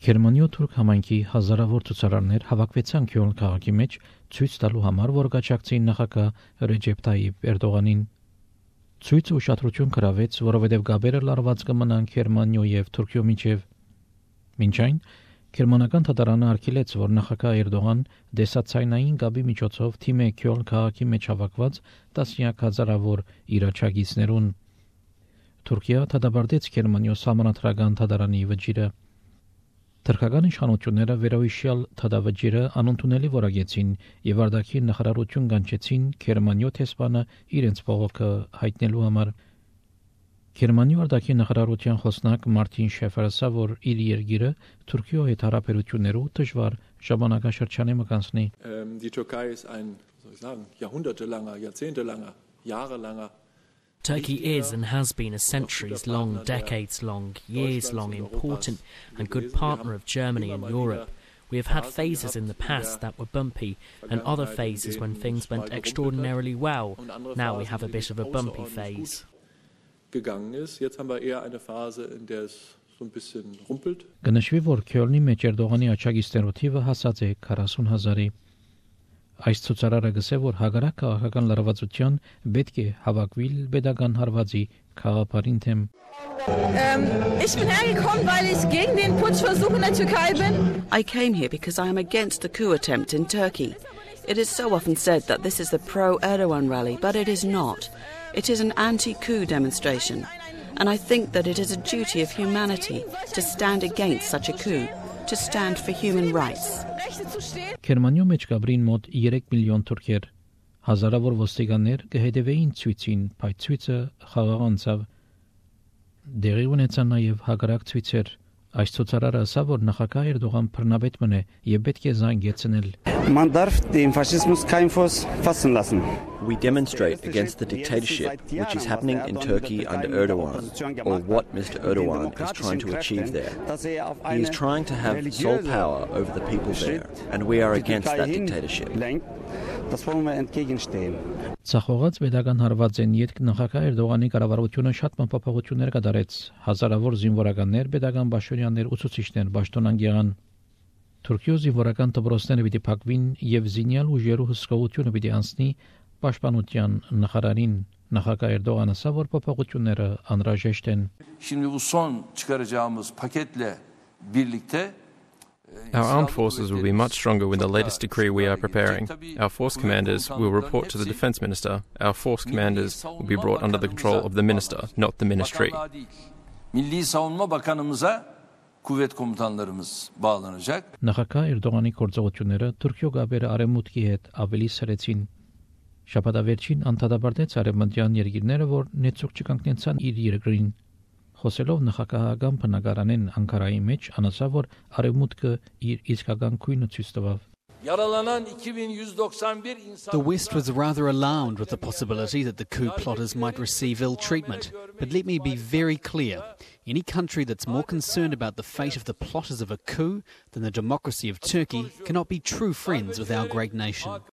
Գերմանիո-թուրք համայնքի հազարավոր ցուցարարներ հավաքվեցան Քյոլն քաղաքի մեջ ցույց տալու համար, որ գաչակցեին նախագահ Ռեջեփ Թայիփ Էրդողանին։ Ցույցը ուշադրություն գրավեց, որովհետև գաբերը լարված կմնան Գերմանիո եւ Թուրքիո միջև։ Մինչ այն Գերմանական թատարանը արգելեց, որ նախագահ Էրդողան դեսացայնային գաբի միջոցով թիմե Քյոլն քաղաքի մեջ հավաքված տասնյակ հազարավոր իր աջակիցներուն։ Թուրքիա դադարեցրեց Գերմանիո սահմանադրական թատարանի վճիրը։ Թուրքական իշխանությունները վերոհիշյալ թադավճիրը անընդունելի որակեցին եւ արտաքին նախարարություն կանչեցին Գերմանիո տեսփանը իրենց փողոքը հայտնելու համար։ Գերմանիո արտաքին նախարարության խոսնակ Մարտին Շեֆերսը, որ իր երկիրը Թուրքիո հետ հարաբերություններով դժվար ժամանակաշրջանի մկանցնի։ Die Türkei ist ein, was soll ich sagen, jahrhundertelanger, jahrzehntelanger, jahrelanger Turkey is and has been a centuries-long, decades-long, years-long important and good partner of Germany and Europe. We have had phases in the past that were bumpy and other phases when things went extraordinarily well. Now we have a bit of a bumpy phase. Jetzt haben wir eher eine Phase, in der es so ein bisschen rumpelt. Գնշվի, որ Քյոլնի մեջ Էրդողանի աջակիցներու թիվը հասած է 40,000-ի։ Այս ցուցարարը գսե, որ հագարակ քաղաքական լարվածության պետք է հավաքվիլ pedagogan հարվածի քաղաքարին թեմ։ Ich bin hergekommen, weil ich gegen den Putschversuch in der Türkei bin. I came here because I am against the coup attempt in Turkey. It is so often said that this is the pro-Erdogan rally, but it is not. It is an anti-coup demonstration. And I think that it is a duty of humanity to stand against such a coup, to stand for human rights. Գերմանիո մեջ գաբրին մոտ 3 միլիոն թուրքեր, հազարավոր ոստիկաններ կհետևեին ցույցին, բայց ցույցը խաղաղանցավ։ Դեղի ունեցան նաև հակառակ ցույցեր։ Այս ցուցարարը ասավ, որ նախագահ Էրդողան բռնապետ մնե եւ պետք է զանգեցնել։ Man darf den Faschismus keinen Fuß fassen lassen. We demonstrate against the dictatorship which is happening in Turkey under Erdogan, or what Mr. Erdogan is trying to achieve there. He is trying to have sole power over the people there, and we are against that dictatorship. Ցախողած pedagogan հարված են յետք նախագահ Էրդողանի կառավարությունը շատ մտապահություններ կատարեց, հազարավոր զինվորականներ, pedagogan բաշորյաններ ու ցուցիչներ պաշտոնան եղան։ Թուրքիո զինվորական դպրոցները պիտի փակվին եւ զինյալ ուժերու հսկողությունը պիտի անցնի պաշտպանության նախարարին։ Նախագահ Էրդողանը ասա, որ փոփոխությունները անհրաժեշտ են։ Şimdi bu son çıkaracağımız paketle birlikte Our armed forces will be much stronger with the latest decree we are preparing. Our force commanders will report to the defense minister. Our force commanders will be brought under the control of the minister, not the ministry. Milli Savunma Bakanımıza kuvvet komutanlarımız bağlanacak. Նախագահ Էրդողանի գործողությունները Թուրքիո գաբերը արևմուտքի հետ ավելի սրեցին։ Շաբաթավերջին անդադաբարտեց արևմտյան երկիրները, որ նեցուկ չկանգնեցան իր երկրին։ Խոսելով նախագահական բնակարանեն Անկարայի մեջ, անասավ, որ արևմուտքը իր իսկական քույնը ցույց տվավ։ The West was rather alarmed with the possibility that the coup plotters might receive ill treatment. But let me be very clear. Any country that's more concerned about the fate of the plotters of a coup than the democracy of Turkey cannot be true friends with our great nation.